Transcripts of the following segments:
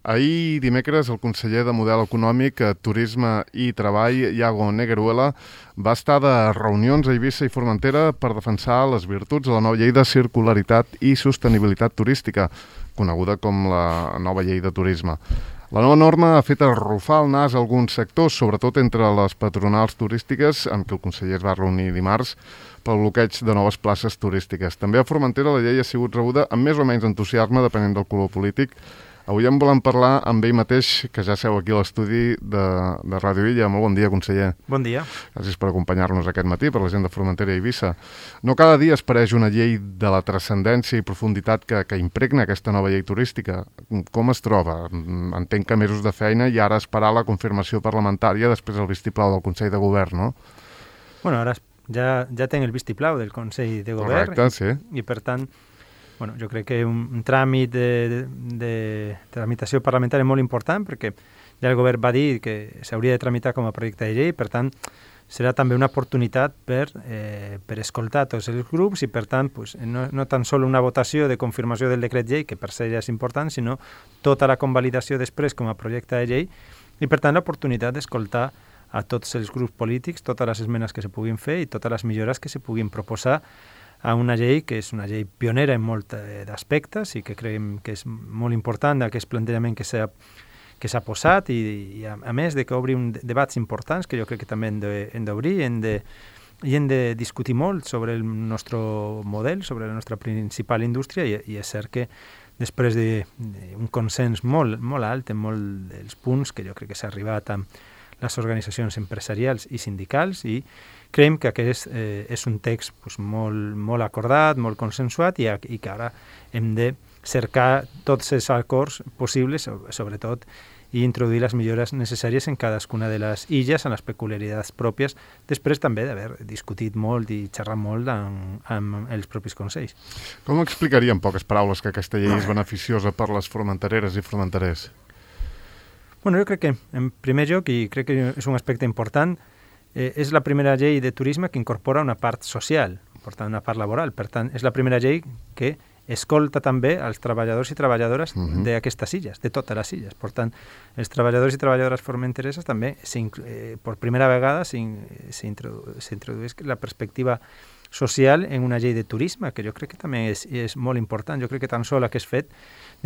Ahir dimecres el conseller de Model Econòmic, Turisme i Treball, Iago Negueruela, va estar de reunions a Eivissa i Formentera per defensar les virtuts de la nova llei de circularitat i sostenibilitat turística, coneguda com la nova llei de turisme. La nova norma ha fet arrufar el nas a alguns sectors, sobretot entre les patronals turístiques, amb què el conseller es va reunir dimarts, pel bloqueig de noves places turístiques. També a Formentera la llei ha sigut rebuda amb més o menys entusiasme, depenent del color polític. Avui en volem parlar amb ell mateix, que ja seu aquí a l'estudi de Ràdio Illa. Molt bon dia, conseller. Bon dia. Gràcies per acompanyar-nos aquest matí, per la gent de Formentera i Eivissa. No cada dia es pareix una llei de la transcendència i profunditat que impregna aquesta nova llei turística. Com es troba? Entenc que mesos de feina i ara esperar la confirmació parlamentària després del vistiplau del Consell de Govern, no? Bueno, ara ja tenc el vistiplau del Consell de Govern. Correcte, sí. I per tant, bueno, jo crec que un tràmit de tramitació parlamentària molt important, perquè ja el govern va dir que s'hauria de tramitar com a projecte de llei, per tant, serà també una oportunitat per escoltar tots els grups i, per tant, pues, no tan sols una votació de confirmació del decret llei, que per se ja és important, sinó tota la convalidació després com a projecte de llei i, per tant, l'oportunitat d'escoltar a tots els grups polítics, totes les esmenes que se puguin fer i totes les millores que se puguin proposar a una llei que és una llei pionera en molts d'aspectes i que creiem que és molt important aquest plantejament que s'ha posat i a més de que obri debats importants que jo crec que també hem d'obrir i hem de discutir molt sobre el nostre model, sobre la nostra principal indústria i és cert que després d'un consens molt alt en molts dels punts que jo crec que s'ha arribat amb les organitzacions empresarials i sindicals i creiem que aquest és un text pues, molt acordat, molt consensuat i que ara hem de cercar tots els acords possibles, sobretot, i introduir les millores necessàries en cadascuna de les illes, en les peculiaritats pròpies, després també d'haver discutit molt i xerrat molt amb els propis consells. Com explicaria en poques paraules que aquesta llei és beneficiosa per les formentereres i formenterers? Bueno, jo crec que, en primer lloc, i crec que és un aspecte important, és la primera llei de turisme que incorpora una part social, per tant, una part laboral. Per tant, és la primera llei que escolta també els treballadors i treballadores d'aquestes illes, de totes les illes. Per tant, els treballadors i treballadores formentereses també, per primera vegada, s'introdueix la perspectiva social en una llei de turisme, que jo crec que també és molt important. Jo crec que tan sol aquest fet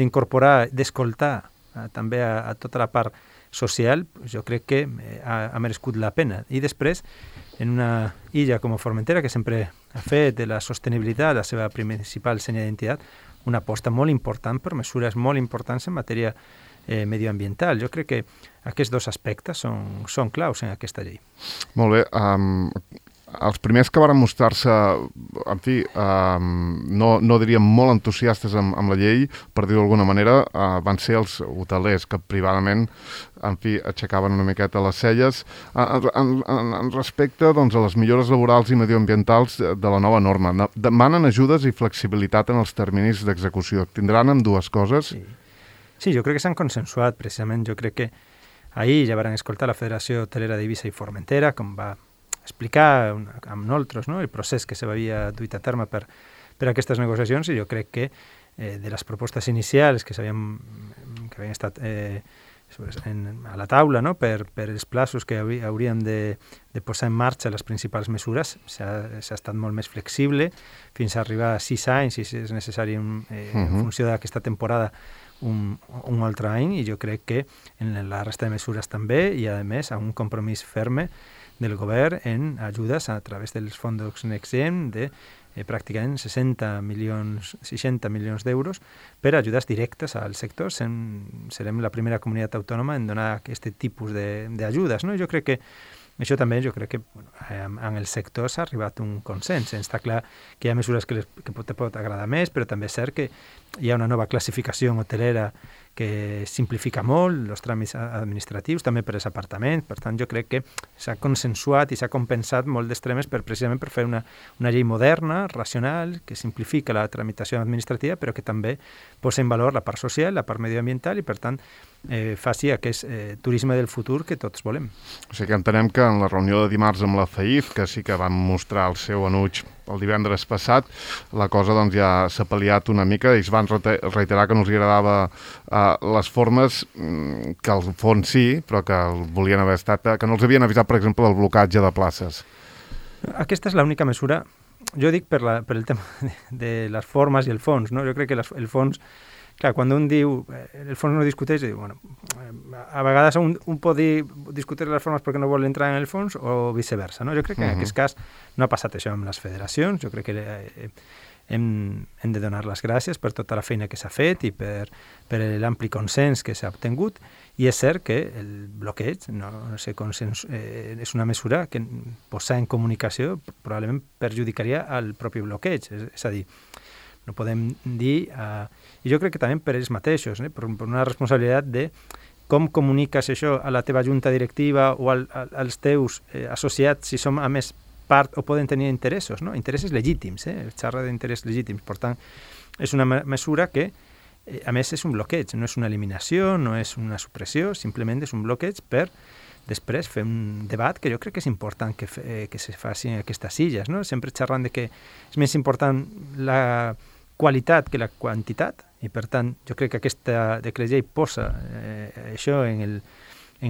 d'incorporar, d'escoltar també a tota la part social, jo crec que ha merescut la pena. I després, en una illa com Formentera, que sempre ha fet de la sostenibilitat la seva principal senya d'identitat, una aposta molt important per mesures molt importants en matèria medioambiental. Jo crec que aquests dos aspectes són claus en aquesta llei. Molt bé. Els primers que van mostrar-se, en fi, no diríem molt entusiastes amb la llei, per dir-ho d'alguna manera, van ser els hotelers que privadament, en fi, aixecaven una miqueta les celles en respecte doncs, a les millores laborals i medioambientals de la nova norma. Demanen ajudes i flexibilitat en els terminis d'execució. Tindran amb dues coses? Sí, jo crec que s'han consensuat, precisament. Jo crec que ahir ja van escoltar la Federació Hotelera d'Eivissa i Formentera, com va explicar amb nosaltres, no?, el procés que s'havia duit a terme per aquestes negociacions i jo crec que de les propostes inicials que havien estat a la taula, no?, per els plaços que hauríem de posar en marxa les principals mesures, s'ha estat molt més flexible fins a arribar a 6 anys si és necessari en funció d'aquesta temporada un altre any i jo crec que en la resta de mesures també i a més a un compromís ferme del govern en ajudes a través dels fons Next Gen de pràcticament 60 milions d'euros per ajudes directes al sector. Serem la primera comunitat autònoma en donar aquest tipus d'ajudes, no? Jo crec que això també, en el sector s'ha arribat a un consens. Està clar que hi ha mesures que te pot agradar més, però també és cert que hi ha una nova classificació hotelera que simplifica molt els tràmits administratius, també per als apartaments. Per tant, jo crec que s'ha consensuat i s'ha compensat molt d'extremes precisament per fer una llei moderna, racional, que simplifica la tramitació administrativa, però que també posa en valor la part social, la part medioambiental i, per tant, faci aquest turisme del futur que tots volem. O sigui que entenem que en la reunió de dimarts amb la FAIF, que sí que van mostrar el seu enuig el divendres passat, la cosa doncs, ja s'ha pal·liat una mica. Ells van reiterar que no els agradava les formes, que al fons sí, però que volien haver estat, que no els havien avisat, per exemple, del blocatge de places. Aquesta és l'única mesura, jo dic per el tema de les formes i el fons, no? Jo crec que el fons, clar, quan un diu, el fons no discuteix, diu, bueno, a vegades un pot discutir les formes perquè no vol entrar en el fons o viceversa, no? Jo crec que en aquest cas no ha passat això amb les federacions, jo crec que hem de donar les gràcies per tota la feina que s'ha fet i per l'ampli consens que s'ha obtingut, i és cert que el bloqueig és una mesura que posar en comunicació probablement perjudicaria al propi bloqueig, és a dir, no podem dir, i jo crec que també per ells mateixos, per una responsabilitat de com comuniques això a la teva junta directiva o als teus associats, si som a més part o poden tenir interessos, no? Interessos legítims, xarra d'interessos legítims. Per tant, és una mesura que, a més, és un bloqueig, no és una eliminació, no és una supressió, simplement és un bloqueig per després fer un debat que jo crec que és important que se faci en aquestes illes, no? Sempre xerrant de que és més important la qualitat que la quantitat, i per tant jo crec que aquesta decret llei posa això en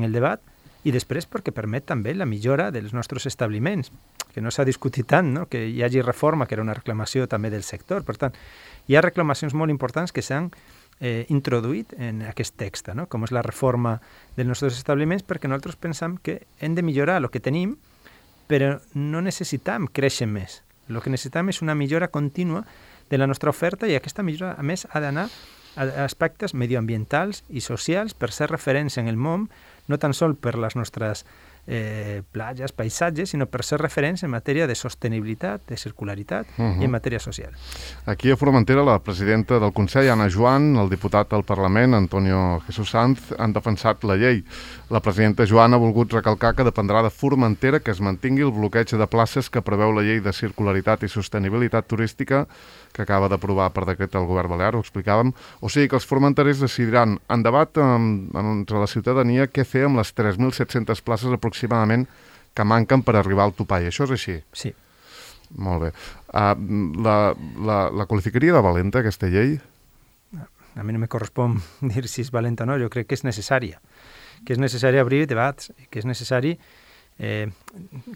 el debat, i després perquè permet també la millora dels nostres establiments, que no s'ha discutit tant, no? Que hi hagi reforma, que era una reclamació també del sector. Per tant, hi ha reclamacions molt importants que s'han introduït en aquest text, no? Com és la reforma dels nostres establiments, perquè nosaltres pensam que hem de millorar el que tenim, però no necessitam créixer més. El que necessitam és una millora contínua de la nostra oferta, i aquesta millora, a més, ha d'anar a aspectes medioambientals i socials per ser referència en el món, no tan sols per les nostres platges, paisatges, sinó per ser referents en matèria de sostenibilitat, de circularitat i en matèria social. Aquí a Formentera, la presidenta del Consell, Anna Joan, el diputat del Parlament, Antonio Jesús Sanz, han defensat la llei. La presidenta Joan ha volgut recalcar que dependrà de Formentera que es mantingui el bloqueig de places que preveu la llei de circularitat i sostenibilitat turística que acaba d'aprovar per decret el govern balear, ho explicàvem. O sigui que els formenterers decidiran en debat entre la ciutadania què fer amb les 3.700 places aproximadament que manquen per arribar al topall. Això és així? Sí. Molt bé. La qualificaria de valenta, aquesta llei? A mi no me correspon dir si és valenta o no, jo crec que és necessària. Que és necessari obrir debats, que és necessari...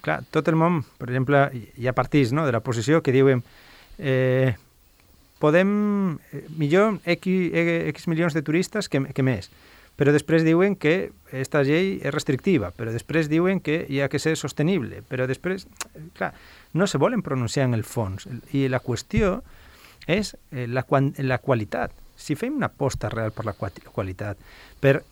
clar, tot el món, per exemple, hi ha partits, no?, de l'oposició que diuen podem millor X milions de turistes que més, però després diuen que aquesta llei és restrictiva, però després diuen que hi ha que ser sostenible, però després, clar, no se volen pronunciar en el fons, i la qüestió és la qualitat. Si fem una aposta real per la qualitat, per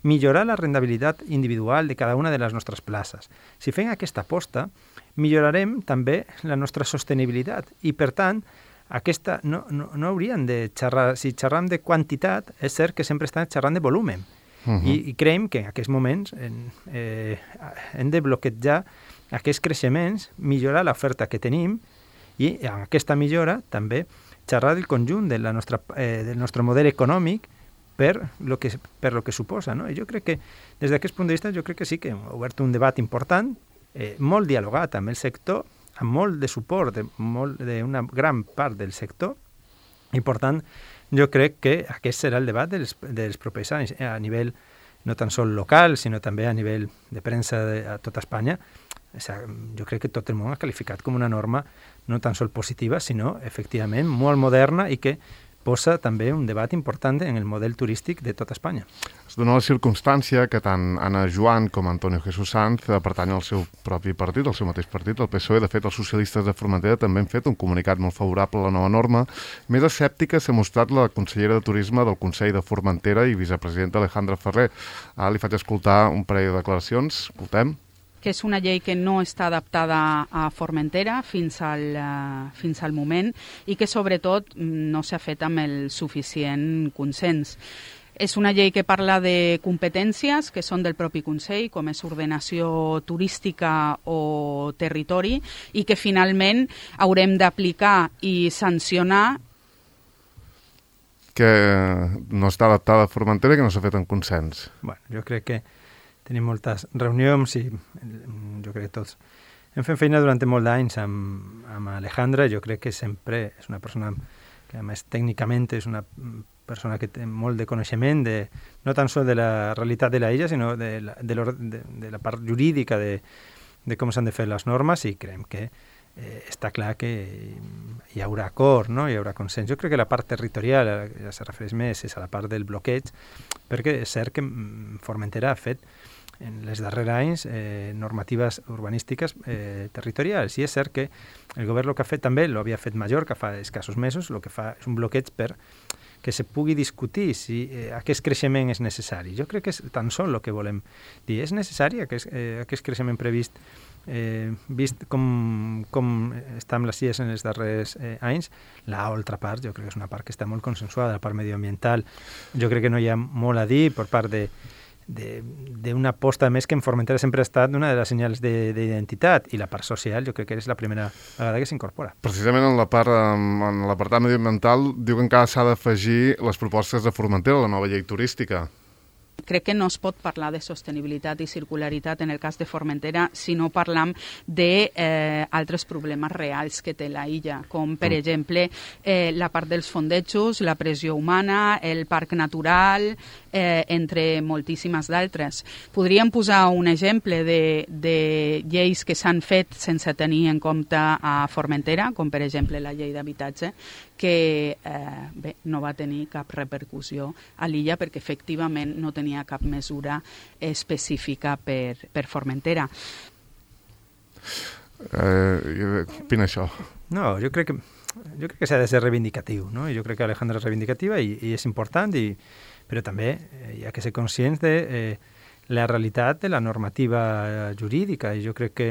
millorar la rendibilitat individual de cada una de les nostres places, si fem aquesta aposta, millorarem també la nostra sostenibilitat, i per tant, aquesta no hauríem de xerrar, si xerram de quantitat, és cert que sempre estan xerrant de volum, i creiem que en aquests moments hem de bloquejar aquests creixements, millorar l'oferta que tenim, i en aquesta millora també xerrar del conjunt del nostre model econòmic per lo que suposa, no? I jo crec que, des d'aquest punt de vista, jo crec que sí que hem obert un debat important, molt dialogat amb el sector, amb molt de suport d'una gran part del sector, i per tant jo crec que aquest serà el debat dels propers anys, a nivell no tan sols local, sinó també a nivell de premsa a tota Espanya. Jo crec que tot el món ha qualificat com una norma no tan sols positiva, sinó efectivament molt moderna, i que posa també un debat important en el model turístic de tota Espanya. Es dona la circumstància que tant Anna Joan com Antonio Jesús Sanz pertanyen al seu propi partit, al seu mateix partit, el PSOE. De fet, els socialistes de Formentera també han fet un comunicat molt favorable a la nova norma. Més escèptica s'ha mostrat la consellera de Turisme del Consell de Formentera i vicepresidenta Alejandra Ferrer. Ara li faig escoltar un parell de declaracions. Escoltem. Que és una llei que no està adaptada a Formentera fins al moment, i que sobretot no s'ha fet amb el suficient consens. És una llei que parla de competències que són del propi Consell, com és ordenació turística o territori, i que finalment haurem d'aplicar i sancionar. Que no està adaptada a Formentera i que no s'ha fet en consens. Bueno, jo crec que tenim moltes reunions i jo crec que tots hem fet feina durant molt d'anys amb Alejandra. Jo crec que sempre és una persona que, a més, tècnicament és una persona que té molt de coneixement, no tan sols de la realitat de la illa, sinó de la part jurídica de com s'han de fer les normes, i creiem que està clar que hi haurà acord, no? Hi haurà consens. Jo crec que la part territorial, ja se refereix més, és a la part del bloqueig, perquè és cert que Formentera ha fet en les darrers anys normatives urbanístiques territorials, i és cert que el govern el que ha fet també, l'havia fet Mallorca fa escassos mesos, el que fa és un bloqueig per que se pugui discutir si aquest creixement és necessari. Jo crec que és tan sol el que volem dir. És necessari aquest creixement previst, vist com està amb les illes en els darrers anys. L'altra part, jo crec que és una part que està molt consensuada, la part medioambiental. Jo crec que no hi ha molt a dir per part d'una aposta més que en Formentera sempre ha estat una de les senyals d'identitat, i la part social jo crec que és la primera vegada que s'incorpora. Precisament en l'apartat medioambiental diuen que s'ha d'afegir les propostes de Formentera a la nova llei turística. Crec que no es pot parlar de sostenibilitat i circularitat en el cas de Formentera si no parlam d'altres problemes reals que té la illa, com per exemple la part dels fondejos, la pressió humana, el parc natural, entre moltíssimes d'altres. Podríem posar un exemple de lleis que s'han fet sense tenir en compte a Formentera, com per exemple la llei d'habitatge, que no va tenir cap repercussió a l'illa perquè efectivament no tenia cap mesura específica per Formentera. Opina això? No, jo crec que s'ha de ser reivindicatiu, no? Jo crec que Alejandra és reivindicativa i és important, però també hi ha que ser conscients de la realitat de la normativa jurídica, i jo crec que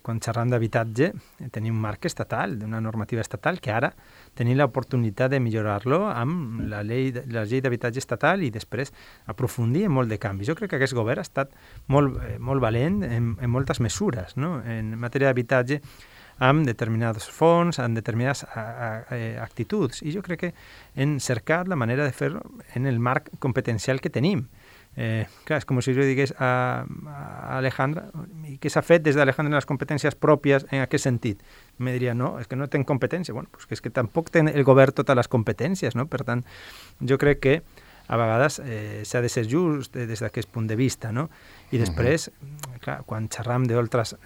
quan xerram d'habitatge tenim un marc estatal, d'una normativa estatal, que ara tenim l'oportunitat de millorar-lo amb la llei d'habitatge estatal i després aprofundir en molt de canvis. Jo crec que aquest govern ha estat molt valent en moltes mesures, no? En matèria d'habitatge, amb determinats fons, amb determinades actituds, i jo crec que hem cercat la manera de fer-ho en el marc competencial que tenim. Clar, és com si jo digués a Alejandra, i què s'ha fet des d'Alejandra en les competències pròpies en aquest sentit? Me diria, no, és que no ten competència. Bueno, pues és que tampoc té el govern totes les competències, no? Per tant, jo crec que a vegades s'ha de ser just des d'aquest punt de vista, no? I després, clar, quan xerram d'altres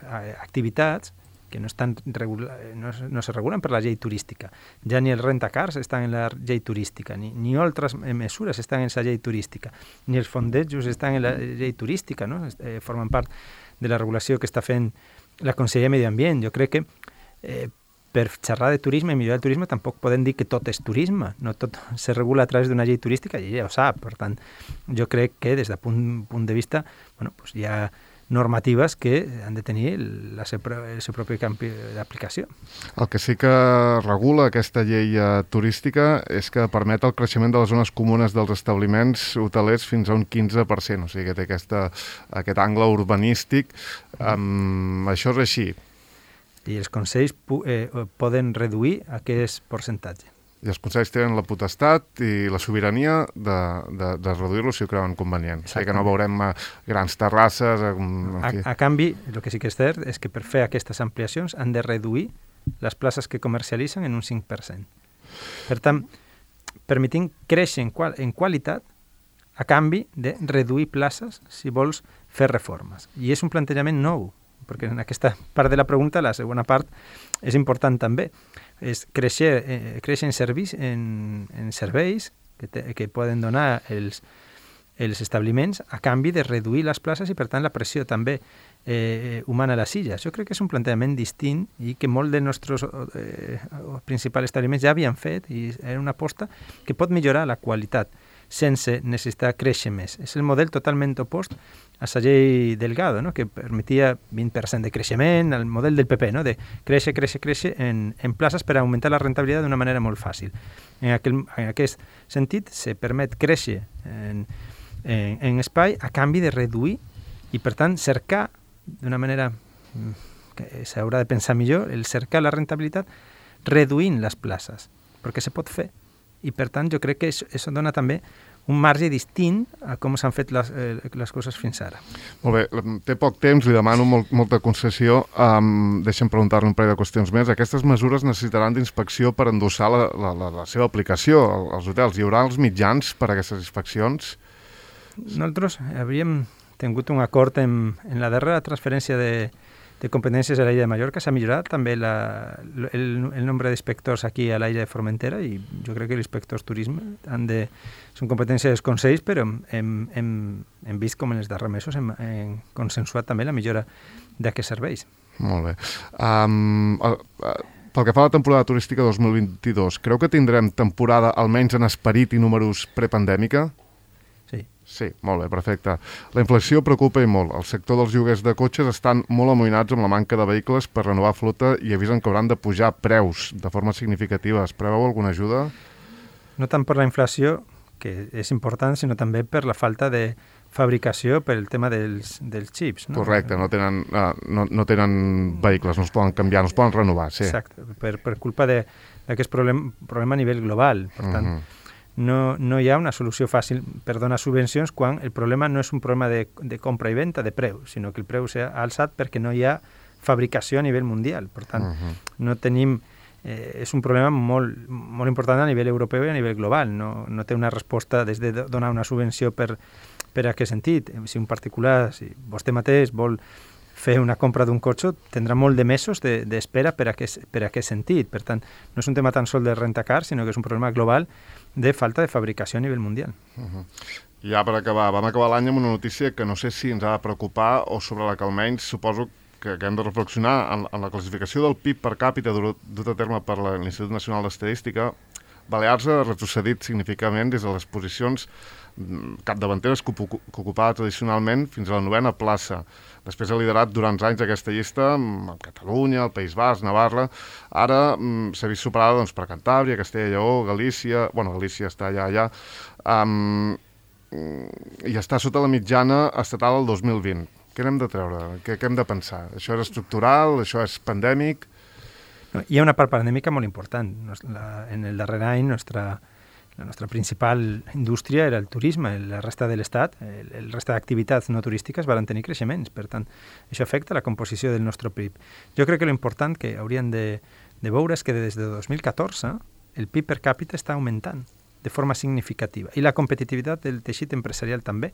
activitats que no se regulen per la llei turística. Ja ni els rentacars estan en la llei turística, ni altres mesures estan en la llei turística, ni els fondejos estan en la llei turística, no? Formen part de la regulació que està fent la Conselleria de Medi Ambient. Jo crec que per xerrar de turisme i millorar el turisme tampoc podem dir que tot és turisme, no tot se regula a través d'una llei turística, i ella ho sap. Per tant, jo crec que des del punt de vista, bueno, pues hi ha normatives que han de tenir el seu propi camp d'aplicació. El que sí que regula aquesta llei turística és que permet el creixement de les zones comunes dels establiments hotelers fins a un 15%, o sigui que té aquest angle urbanístic. Això és així. I els consells poden reduir aquest percentatge. I els consells tenen la potestat i la sobirania de reduir-lo si ho creuen convenient. O sigui que no veurem grans terrasses... A canvi, el que sí que és cert és que per fer aquestes ampliacions han de reduir les places que comercialitzen en un 5%. Per tant, permetent créixer en qualitat a canvi de reduir places si vols fer reformes. I és un plantejament nou, perquè en aquesta part de la pregunta, la segona part, és important també. És créixer en serveis que poden donar els establiments a canvi de reduir les places i, per tant, la pressió també humana a les illes. Jo crec que és un plantejament distint i que molts dels nostres principals establiments ja havien fet, i era una aposta que pot millorar la qualitat sense necessitar créixer més. És el model totalment opost a la llei Delgado, no? Que permetia 20% de creixement, el model del PP, no? De créixer en places per augmentar la rentabilitat d'una manera molt fàcil. En aquest sentit, se permet créixer en espai a canvi de reduir i, per tant, cercar d'una manera que s'haurà de pensar millor, el cercar la rentabilitat reduint les places, perquè se pot fer. I, per tant, jo crec que això dona també un marge distint a com s'han fet les coses fins ara. Molt bé, té poc temps, li demano molta concessió. Deixa'm preguntar-li un parell de qüestions més. Aquestes mesures necessitaran d'inspecció per endossar la seva aplicació als hotels. Hi haurà els mitjans per a aquestes inspeccions? Nosaltres havíem tingut un acord en la darrera transferència de competències a l'illa de Mallorca. S'ha millorat també el nombre d'inspectors aquí a l'illa de Formentera i jo crec que els inspectors turisme són competències dels consells, però hem vist com en els darrers mesos hem consensuat també la millora d'aquests serveis. Molt bé. Pel que fa a la temporada turística 2022, creu que tindrem temporada almenys en esperit i números prepandèmica? Sí, molt bé, perfecte. La inflació preocupa i molt. El sector dels lloguers de cotxes estan molt amoïnats amb la manca de vehicles per renovar flota i avisen que hauran de pujar preus de forma significativa. Es preveu alguna ajuda? No tant per la inflació, que és important, sinó també per la falta de fabricació per el tema dels xips. No? Correcte, no tenen vehicles, no es poden canviar, no es poden renovar. Sí. Exacte, per culpa d'aquest problema a nivell global. Per tant, no hi ha una solució fàcil per donar subvencions quan el problema no és un problema de compra i venda de preu, sinó que el preu s'ha alçat perquè no hi ha fabricació a nivell mundial. Per tant, no tenim... és un problema molt, molt important a nivell europeu i a nivell global. No té una resposta des de donar una subvenció per a què sentit. Si un particular, si vostè mateix vol fer una compra d'un cotxe, tindrà molt de mesos d'espera per a què sentit. Per tant, no és un tema tan sol de rentacar, sinó que és un problema global de falta de fabricació a nivell mundial. Ja per acabar, vam acabar l'any amb una notícia que no sé si ens ha de preocupar o sobre la que almenys suposo que hem de reflexionar en la classificació del PIB per càpita dut a terme per l'Institut Nacional d'Estadística. Balears ha retrocedit significativament des de les posicions capdavanteres que ocupava tradicionalment fins a la 9ª plaça. Després ha liderat durant anys aquesta llista amb Catalunya, el País Basc, Navarra. Ara s'ha vist superada per Cantàbria, Castella i Lleó, Galícia... Bueno, Galícia està allà. I està sota la mitjana estatal del 2020. Què n'hem de treure? Què hem de pensar? Això és estructural? Això és pandèmic? Hi ha una part pandèmica molt important. En el darrer any, la nostra principal indústria era el turisme. La resta de l'Estat, el resta d'activitats no turístiques van tenir creixements. Per tant, això afecta la composició del nostre PIB. Jo crec que l'important que hauríem de veure és que des de 2014 el PIB per càpita està augmentant de forma significativa. I la competitivitat del teixit empresarial també.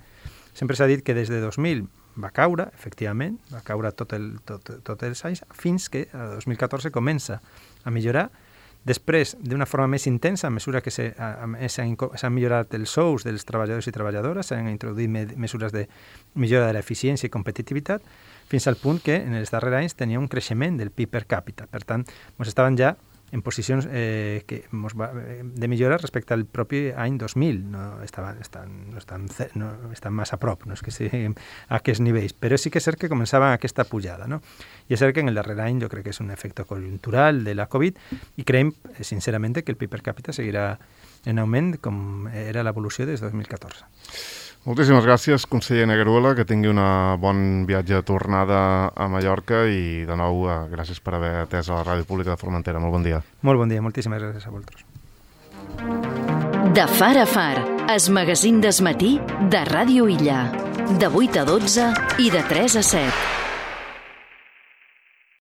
Sempre s'ha dit que des de 2000 va caure, efectivament, va caure tots els anys, fins que a 2014 comença a millorar. Després, d'una forma més intensa, a mesura que s'han millorat els sous dels treballadors i treballadores, s'han introduït mesures de millora de l'eficiència i competitivitat, fins al punt que en els darrers anys tenia un creixement del PIB per càpita. Per tant, ens estaven ja en posicions de millora respecte al propi any 2000. No estan massa a prop, no és que siguin a aquests nivells, però sí que és cert que començava aquesta pujada. No? I és cert que en el darrer any jo crec que és un efecte conjuntural de la Covid i creiem, sincerament, que el PIB per càpita seguirà en augment com era l'evolució des de 2014. Moltíssimes gràcies, conseller Negruela, que tingui una bon viatge de tornada a Mallorca i, de nou, gràcies per haver atès a la Ràdio Pública de Formentera. Molt bon dia. Molt bon dia, moltíssimes gràcies a vosaltres. De Far a Far, es magazín d'esmatí de Ràdio Illa. De 8 a 12 i de 3 a 7.